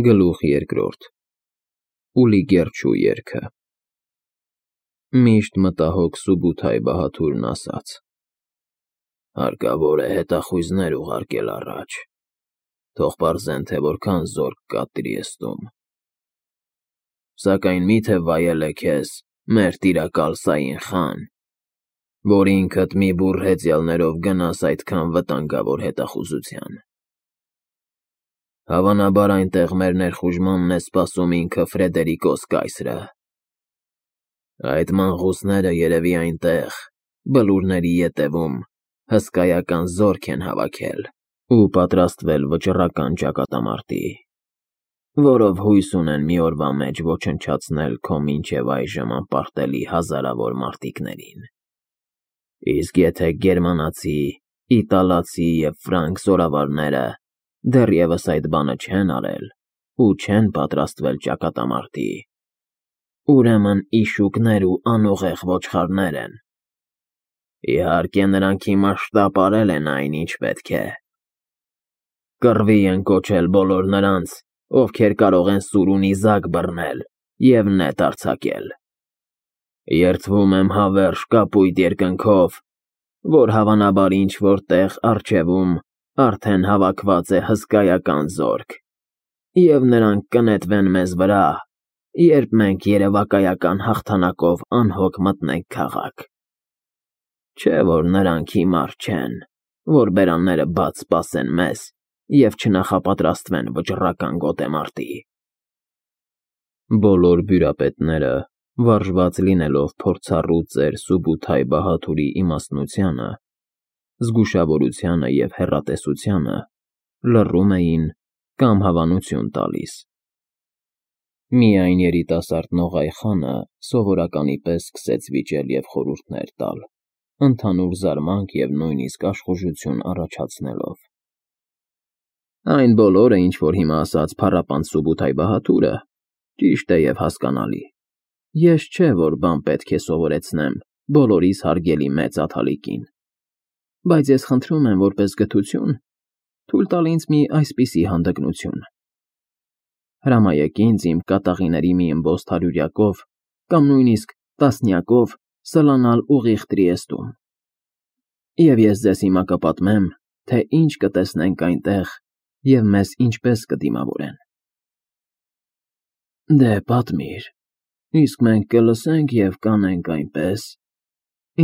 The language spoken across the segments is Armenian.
Գլուխ երկրորդ Ուլի Գերչու երգը Միշտ մտահոգ Սուբութայ Բահաթուրն ասաց. Հարկավոր է հետախույզներ ուղարկել առաջ, թող պարզեն, թե որքան զորք կա Տրիեստում, սակայն մի՞թե վայել է քեզ մեր տիրակալ Սաին խան, որ ինքդ մի բուռ հեծյալներով գնաս այդքան վտանգավոր հետախուզության. Հավանաբար այնտեղ մեր ներխուժմանն է սպասում ինքը Ֆրեդերիկոս կայսրը, այդ մանխուսները երևի այնտեղ, բլուրների ետևում, հսկայական զորք են հավաքել ու պատրաստվել վճռական ճակատամարտի, որով հույս ունեն մի օրվա մեջ ոչնչացնել քո մինչև այժմ անպարտելի հազարավոր մարտիկներին, իսկ եթե գերմանացի, իտալացի և ֆրանկ զորավարները դեռևս այդ բանը չեն արել ու չեն պատրաստվել ճակատամարտի, ուրեմն իշուկներ ու անուղեղ ոչխարներ են, իհարկե նրանք հիմա շտապ արել են այն, ինչ պետք է, կռվի են կոչել բոլոր նրանց, ովքեր կարող են սուր ու նիզակ բռնել և նետ արձակել, երդվում եմ հավերժ կապույտ երկնքով, որ հավանաբար ինչ-որ տեղ առջևում արդեն հավաքված է հսկայական զորք, և նրանք կնետվեն մեզ վրա, երբ մենք երևակայական հաղթանակով անհոգ մտնենք քաղաք, չէ՞ որ նրանք հիմար չեն, որ բերանները բաց սպասեն մեզ և չնախապատրաստվեն վճռական գոտեմարտի։ Բոլոր բյուրապետները, վարժված լինելով փորձառու ծեր Սուբութայ Բահաթուրի իմաստնությանը, զգուշավորությանը և հեռատեսությանը, լռում էին կամ հավանություն տալիս։ Միայն երիտասարդ Նողայ խանը սովորականի պես սկսեց վիճել և խորհուրդներ տալ, ընդհանուր զարմանք և նույնիսկ աշխուժություն առաջացնելով. Այն բոլորը, ինչ որ հիմա ասաց փառապանծ Սուբութայ Բահաթուրը, ճիշտ է և հասկանալի, ես չէ, որ բան պետք է սովորեցնեմ բոլորիս հարգելի մեծ Աթալիկին, բայց ես խնդրում եմ որպես գթություն թույլ տալ ինձ մի այսպիսի հանդգնություն. հրամայեք ինձ իմ կատաղիների մի ըմբոստ հարյուրյակով կամ նույնիսկ տասնյակով սլանալ ուղիղ Տրիեստում, և ես ձեզ հիմա կպատմեմ, թե ինչ կտեսնենք այնտեղ և մեզ ինչպես կդիմավորեն։ Դե պատմիր, իսկ մենք կլսենք և կանենք այնպես,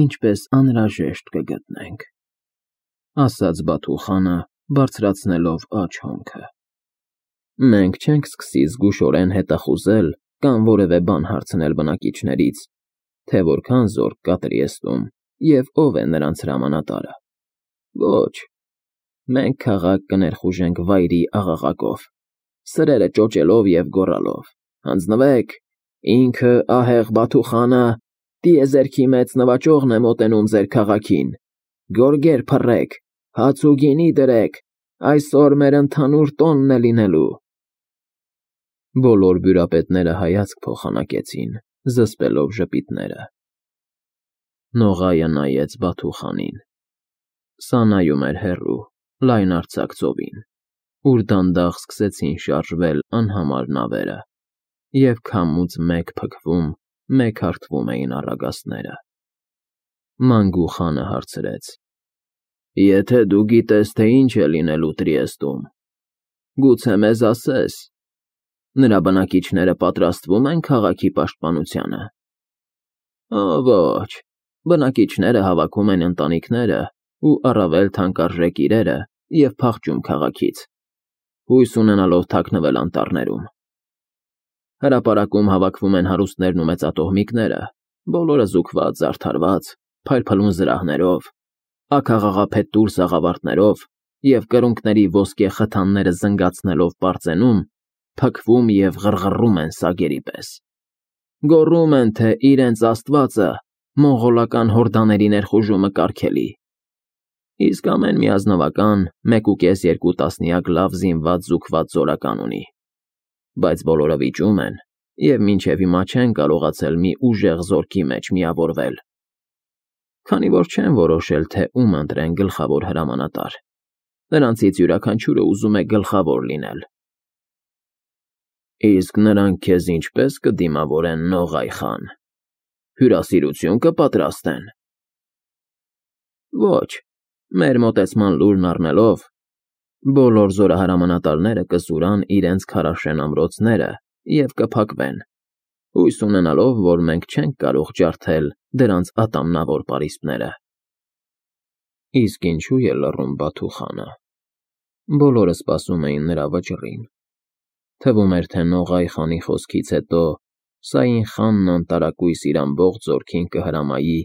ինչպես անհրաժեշտ կգտնենք, ասաց Բաթու խանը, բարձրացնելով աջ հոնքը։ Մենք չենք սկսի զգուշորեն հետախուզել կամ որևէ բան հարցնել բնակիչներից, թե որքան զորք կա Տրիեստում և ով է նրանց հրամանատարը։ Ոչ, մենք քաղաք կներխուժենք վայրի աղաղակով, սրերը ճոճելով և գոռալով. «Հանձնվեք, ինքը ահեղ Բաթու խանը տիեզերքի մեծ նվաճողն է մոտենում ձեր քաղաքին, գորգեր փռեք, հաց ու գինի դրեք, այսօր մեր ընդհանուր տոնն է լինելու»։ Բոլոր բյուրապետները հայացք փոխանակեցին, զսպելով ժպիտները։ Նողայը նայեց Բաթու խանին. սա նայում էր հեռու, լայնարձակ ծովին, ուր դանդաղ սկսեցին շարժվել անհամար նավերը, և քամուց մեկ փքվում, մեկ հարթվում էին առագաստները։ Մանգու խանը հարցրեց. Եթե դու գիտես, թե ինչ է լինելու Տրիեստում, գուցե մեզ ասես, նրա բնակիչները պատրաստվում են քաղաքի պաշտպանությանը։ Ոչ, բնակիչները հավաքում են ընտանիքները ու առավել թանկարժեք իրերը և փախչում քաղաքից, հույս ունենալով թաքնվել անտառներում։ Հրապարակում հավաքվում են հարուստներն ու մեծատոհմիկները, բոլորը զուգված, զարդարված, փայլփլուն զրահներով, աքաղաղափետ տուր սաղավարտներով և կրունկների ոսկե խթանները զնգացնելով պարծենում, փքվում և ղռղռում են սագերի պես։ Գոռում են, թե իրենց աստվածը մոնղոլական հորդաների ներխուժումը կարգելի։ Իսկ ամեն մի ազնվական 1.5-2 տասնյակ լավ զինված զուգված զորական ունի, բայց բոլորը վիճում են և մինչև հիմա չեն կարողացել մի ուժեղ զորքի մեջ միավորվել, քանի որ չեն որոշել, թե ում ընտրեն գլխավոր հրամանատար։ Նրանցից յուրաքանչյուրը ուզում է գլխավոր լինել։ Իսկ նրանք քեզ ինչպես կդիմավորեն, Նողայ խան, հյուրասիրություն կպատրաստեն։ Ոչ, մեր մոտեցման լուրն առնելով, բոլոր զորահրամանատարները կսուրան իրենց քարաշեն ամրոցները և կփակվեն, հույս ունենալով, որ մենք չենք կարող ջարդել դրանց ատամնավոր պարիսպները։ Իսկ ինչու է լռում Բաթու խանը։ Բոլորը սպասում էին նրա վճռին։ Թվում էր, թե Նողայ խանի խոսքից հետո Սաին խանն անտարակույս իր ամբողջ զորքին կհրամայի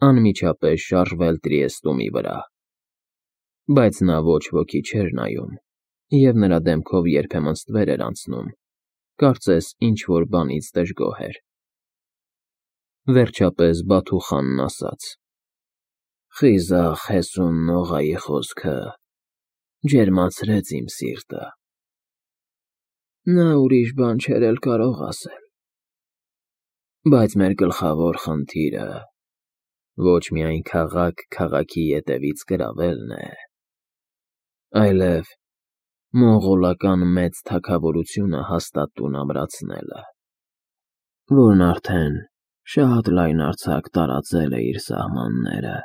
անմիջապես շարժվել Տրիեստումի վրա։ Բայց նա ոչ ոքի չէր նայում, և նրա դեմքով երբեմն ստվեր էր անցնում, կարծես ինչ-որ բանից դժգոհ էր։ Վերջապես Բաթու խանն ասաց. «Խիզախ հեսուն Նողայի խոսքը ջերմացրեց իմ սիրտը։ Նա ուրիշ բան չէր էլ կարող ասել։ Բայց մեր գլխավոր խնդիրը ոչ միայն քաղաքի ետևից գրավելն է, այլև մոնղոլական մեծ թագավորությունը հաստատ տուն ամրացնելը, որն արդեն շատ լայնարձակ տարածել է իր սահմանները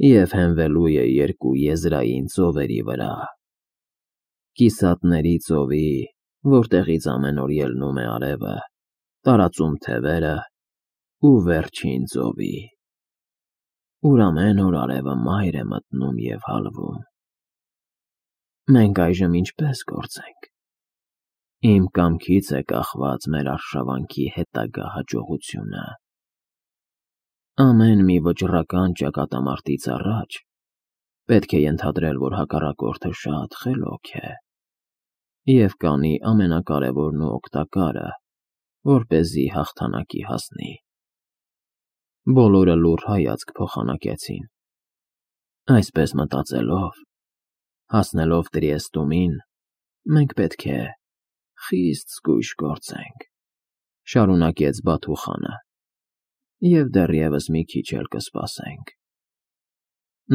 և հենվելու է երկու եզրային ծովերի վրա. Կիսատների ծովի, որտեղից ամեն օր ելնում է արևը, տարածում թևերը, ու վերջին ծովի, ուր ամեն օր արևը մայր է մտնում և հալվում։ Մենք այժմ ինչպես գործենք։ Իմ կամքից է կախված մեր արշավանքի հետագա հաջողությունը։ Ամեն մի վճռական ճակատամարտից առաջ պետք է ենթադրել, որ հակառակորդը շատ խելոք է և կանի ամենակարևորն ու օգտակարը, որպեսզի հաղթանակի հասնի։ Բոլորը լուռ հայացք փոխանակեցին։ Այսպես մտածելով, հասնելով Տրիեստումին, մենք պետք է խիստ զգույշ գործենք, շարունակեց Բաթու խանը, և դեռևս մի քիչ էլ կսպասենք։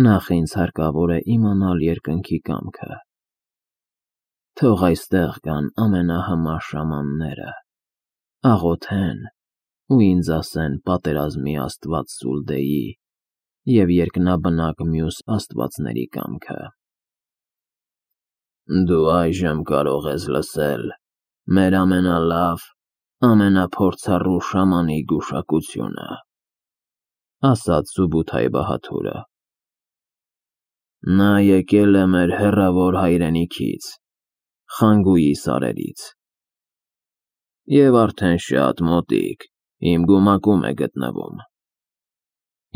Նախ ինձ հարկավոր է իմանալ երկնքի կամքը։ Թող այստեղ գան ամենահմար շամանները, աղոթեն ու ինձ ասեն պատերազմի աստված Սուլդեի և երկնաբնակ մյուս աստվածների կամքը։ Դու այժմ կարող ես լսել մեր ամենալավ, ամենափորձառու շամանի գուշակությունը, ասաց Սուբութայ Բահաթուրը։ Նա եկել է մեր հեռավոր հայրենիքից, Խանգուի սարերից, և արդեն շատ մոտիկ իմ գումակում է գտնվում։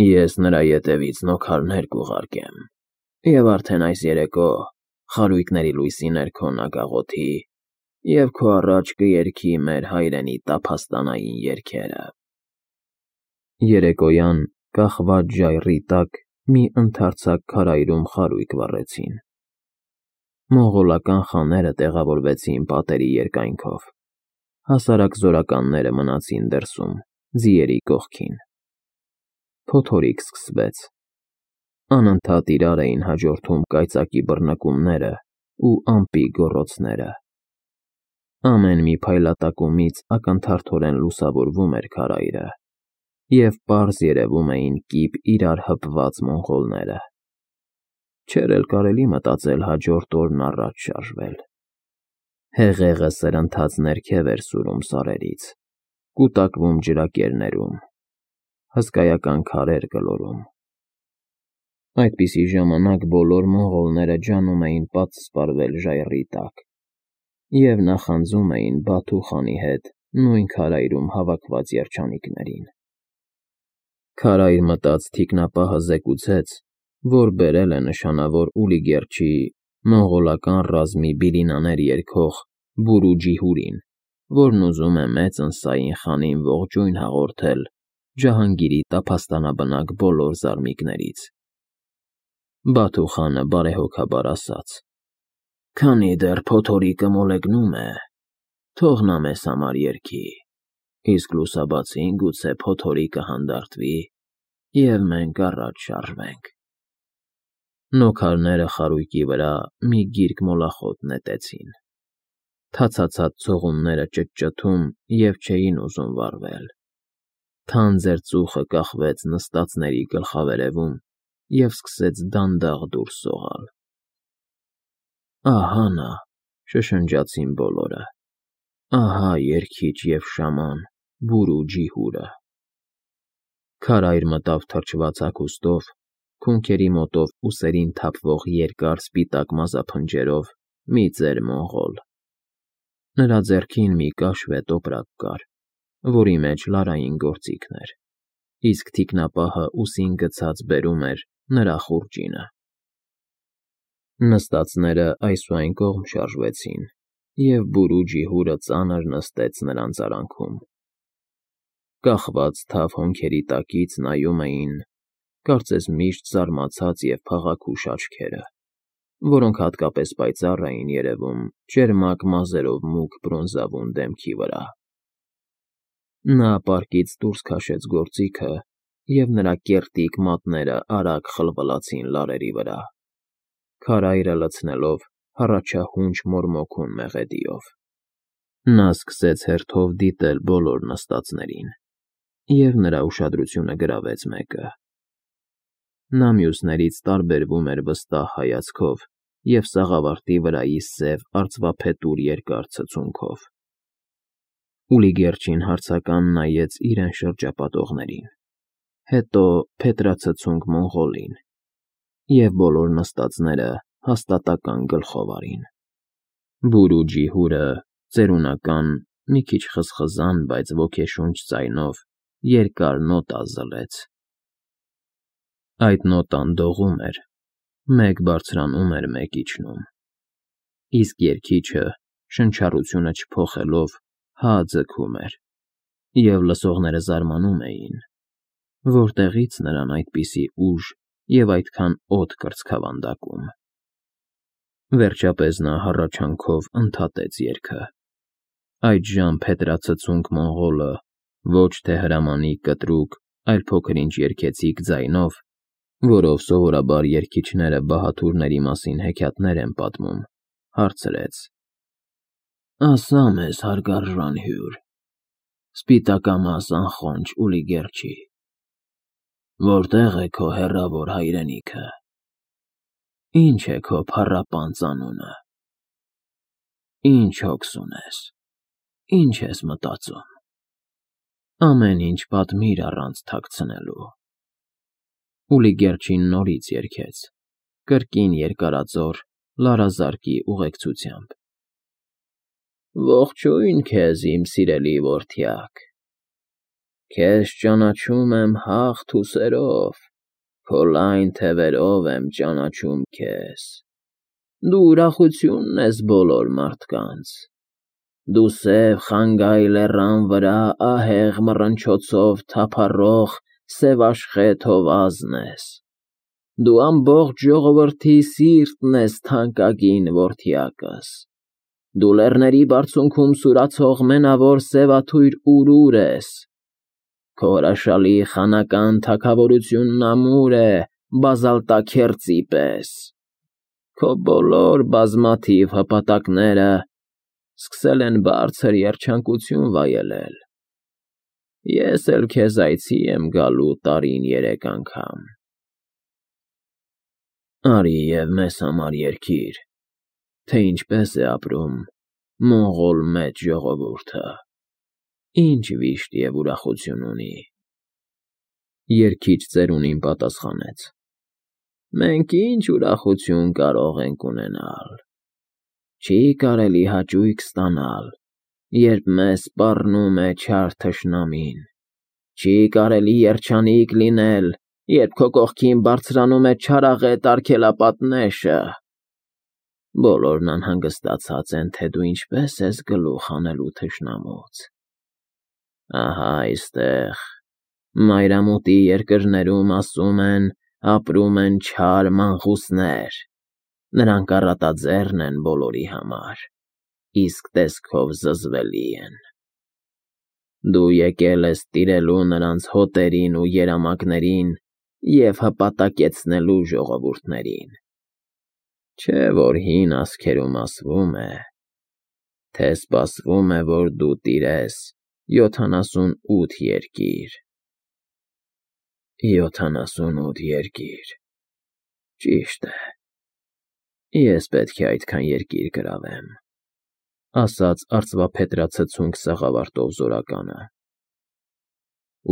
Ես նրա ետևից նոքարներ կուղարկեմ, և արդեն այս երեկո խարույկների լույսի ներքո նա կաղոթի և քո առաջ կերգի մեր հայրենի տափաստանային երգերը։ Երեկոյան կախված ժայռի տակ մի ընդարձակ քարայրում խարույկ վառեցին։ Մոնղոլական խաները տեղավորվեցին պատերի երկայնքով, հասարակ զորականները մնացին դրսում, ձիերի կողքին։ Փոթորիկ սկսվեց։ Անընդհատ իրար էին հաջորդում կայծակի բռնկումները ու ամպի գոռոցները։ Ամեն մի փայլատակումից ակնթարթորեն լուսավորվում էր քարայրը, և պարզ երևում էին կիպ իրար հպված մոնղոլները։ Չէր էլ կարելի մտածել հաջորդ օրն առաջ շարժվել։ Հեղեղը սրընթաց ներքև էր սուրում սարերից, կուտակվում ջրակերներում, հսկայական քարեր գլորում։ Այդպիսի ժամանակ բոլոր մոնղոլները ջանում էին պատսպարվել ժայռի տակ և նախանձում էին Բաթու խանի հետ նույն քարայրում հավաքված երջանիկներին։ Քարայր մտած թիկնապահը զեկուցեց, որ բերել է նշանավոր Ուլիգերչի մոնղոլական ռազմի բիլինաներ երգող Բուրու Ջիհուրին, որն ուզում է մեծն Սաին խանին ողջույն հաղորդել Ջահանգիրի տափաստանաբնակ բոլոր զարմիկներից։ Բաթու խանը բարեհոգաբար ասաց. Քանի դեռ փոթորիկը մոլեգնում է, թող նա մեզ համար երգի, իսկ լուսաբացին գուցե փոթորիկը հանդարտվի, և մենք առաջ շարժվենք։ Նոքարները խարույկի վրա մի գիրք մոլախոտ նետեցին։ թացացած ցողունները ճտճթում և չէին ուզում վառվել։ Թանձր ծուխը կախվեց նստածների գլխավերևում և սկսեց դանդաղ դուրս սողալ։ «Ահա նա», շշնջացին բոլորը, «ահա երգիչ և շաման Բուրու ջիհուրը»։ Քարայր մտավ թրջված հագուստով, քունքերի մոտով ուսերին թափվող երկար սպիտակ մազափնջերով մի ծեր մոնղոլ։ Նրա ձեռքին մի կաշվե տոպրակ կար, որի մեջ լարային գործիքն էր, իսկ թիկնապահը ուսին գցած բերում էր նրա խուրջինը։ Նստածները այս ու այն կողմ շարժվեցին, և Բուրու ջիհուրը ծանր նստեց նրանց արանքում։ Կախված թավ հոնքերի տակից նայում էին, կարծես միշտ զարմացած և փաղաքուշ աչքերը, որոնք հատկապես պայծառ էին երևում ճերմակ մազերով մուգ բրոնզավուն դեմքի վրա։ Նա պարկից դուրս քաշեց գործիքը, և նրա կեռտիկ մատները արագ խլվլացին լարերի վրա, քարայրը լցնելով հառաչահունչ մորմոքուն մեղեդիով։ Նա սկսեց հերթով դիտել բոլոր նստածներին, և նրա ուշադրությունը գրավեց մեկը։ Նա մյուսներից տարբերվում էր վստահ հայացքով և սաղավարտի վրայի սև արծվափետուր երկար ցցունքով։ Ուլիգերչին հարցական նայեց իրեն շրջապատողներին, հետո փետրացցունք մոնղոլին, և բոլոր նստածները հաստատակամ գլխով արին։ Բուրու ջիհուրը ծերունական, մի քիչ խզխզան, բայց ոգեշունչ ձայնով երկար նոտա զլեց։ Այդ նոտան դողում էր, մեկ բարձրանում էր, մեկ իջնում, իսկ երգիչը, շնչառությունը չփոխելով, հա ձգում էր, և լսողները զարմանում էին, որտեղի՞ց նրան այդպիսի ուժ և այդքան օդ կրծքավանդակում։ Վերջապես նա հառաչանքով ընդհատեց երգը։ Այդժամ փետրացցունք մոնղոլը ոչ թե հրամանի կտրուկ, այլ փոքր-ինչ երգեցիկ ձայնով, որով սովորաբար երգիչները բահաթուրների մասին հեքիաթներ են պատմում, հարցրեց. «Ասա մեզ, հարգարժան հյուր, սպիտակամաս անխոնջ Ուլիգերչի, որտե՞ղ է քո հեռավոր հայրենիքը, ի՞նչ է քո փառապանծ անունը, ի՞նչ հոգս ունես, ի՞նչ ես մտածում, ամեն ինչ պատմիր առանց թաքցնելու»։ Ուլիգերչին նորից երգեց, կրկին երկարաձոր, լարազարկի ուղեկցությամբ. «Ողջույն քեզ, իմ սիրելի որդյակ, քեզ ճանաչում եմ հաղթ ուսերով, քո լայն թևերով եմ ճանաչում քեզ, դու ուրախությունն ես բոլոր մարդկանց, դու սև Խանգայ լեռան վրա ահեղ մռնչոցով թափառող սևաշխե թովազն ես, դու ամբողջ ժողովրդի սիրտն ես թանկագին որդյակս, դու լեռների բարձունքում սուրացող մենավոր սևաթույր urուր ես, քո հրաշալի խանական թագավորությունն ամուր է բազալտաքերծի պես, քո բոլոր բազմաթիվ հպատակները սկսել են բարձր երջանկություն վայելել, ես էլ քեզ այցի եմ գալու տարին 3 անգամ, արի և մեզ համար երգիր, թե ինչպես է ապրում մոնղոլ մեծ ժողովուրդը, ինչ վիշտ և ուրախություն ունի։ Երգիչ ծերունին պատասխանեց. «Մենք ինչ ուրախություն կարող ենք ունենալ, չի կարելի հաճույք ստանալ, երբ մեզ սպառնում է չար թշնամին, չի կարելի երջանիկ լինել, երբ քո կողքին բարձրանում է չարաղետ արգելապատնեշը։ Բոլորն անհանգստացած են, թե դու ինչպես ես գլուխ հանելու թշնամուց։ Ահա այստեղ, մայրամուտի երկրներում, ասում են, ապրում են չար մանխուսներ, նրանք առատաձեռն են բոլորի համար, իսկ տեսքով զզվելի են։ Դու եկել ես տիրելու նրանց հոտերին ու երամակներին և հպատակեցնելու ժողովուրդներին։ Չէ՞ որ հին ասքերում ասվում է. թե սպասվում է, որ դու տիրես 78 երկիր։ 78 երկիր։ Ճիշտ է։ Ես պետք է այդքան երկիր գրավեմ, ասաց արծվափետրացցունք սաղավարտով զորականը։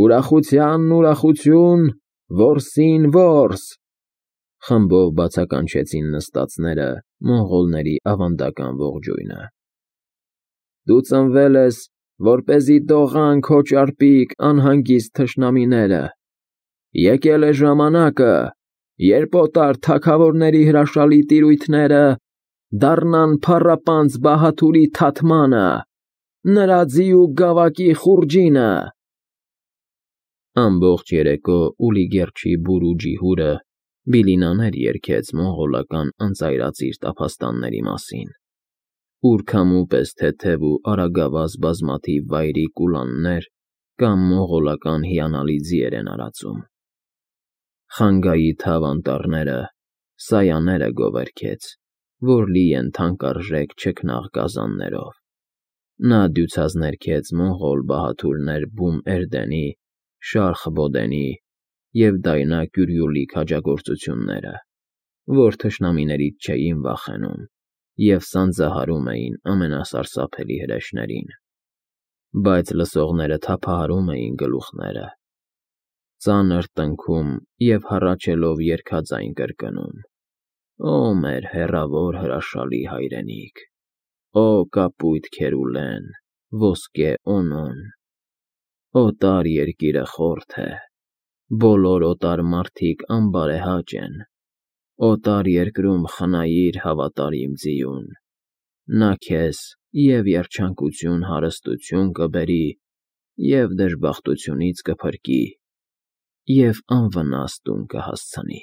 Ուրախության ուրախություն, որսին որս, խմբով բացականչեցին նստածները մոնղոլների ավանդական ողջույնը։ Դու ծնվել ես, որպեսզի դողան քո ճարպիկ անհանգիստ թշնամիները։ Եկել է ժամանակը, երբ օտար թագավորների հրաշալի տիրույթները դառնան փառապանծ Բահաթուրի թաթմանը, նրա ձիու գավակի խուրջինը։ Ամբողջ երեկո Ուլիգերչի բուրու ջիհուրը բիլինաներ երգեց մոնղոլական անծայրածիր տափաստանների մասին, ուր քամու պես թեթև ու արագավազ բազմաթիվ վայրի կուլաններ կամ մոնղոլական հիանալի ձիեր են արածում։ Խանգայի թավ անտառները, սայաները գովերգեց, որ լի են թանկարժեք չքնաղ գազաններով։ Նա դյուցած ներքեց մոնղոլ բահաթուրներ Բում Էրդենի, Շարխ Բոդենի և Դայնա Կյուրյուլի քաջագործությունները, որ թշնամիներից չէին վախենում և սանձահարում էին ամենասարսափելի հրեշներին։ Բայց լսողները թափահարում էին գլուխները, ծանր տնքում և հառաչելով երգաձայն կրկնում. Օ մեր հեռավոր հրաշալի հայրենիք, օ կապույտ Քերուլեն, ոսկե Օնոն, օտար երկիրը խորթ է, բոլոր օտար մարդիկ անբարեհաճ են, օտար երկրում խնայիր հավատարիմ ձիուն, նա քեզ և երջանկություն հարստություն կբերի, և դժբախտությունից կփրկի, և անվնաս տուն կհասցնի։